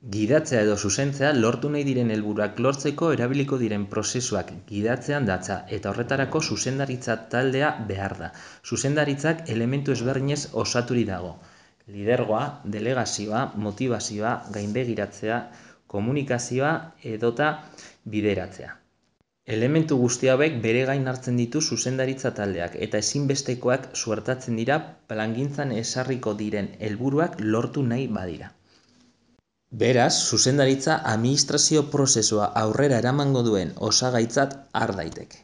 Gidatzea edo zuzentzea lortu nahi diren helburuak lortzeko erabiliko diren prozesuak gidatzean datza, eta horretarako zuzendaritza taldea behar da. Zuzendaritzak elementu ezberdinez osaturik dago. Lidergoa, delegazioa, motibazioa, gainbegiratzea, komunikazioa edota bideratzea. Elementu guzti hauek bere gain hartzen ditu zuzendaritza taldeak eta ezinbestekoak suertatzen dira plangintzan ezarriko diren helburuak lortu nahi badira. Beraz, zuzendaritza administrazio prozesua aurrera eramango duen osagaitzat har daiteke.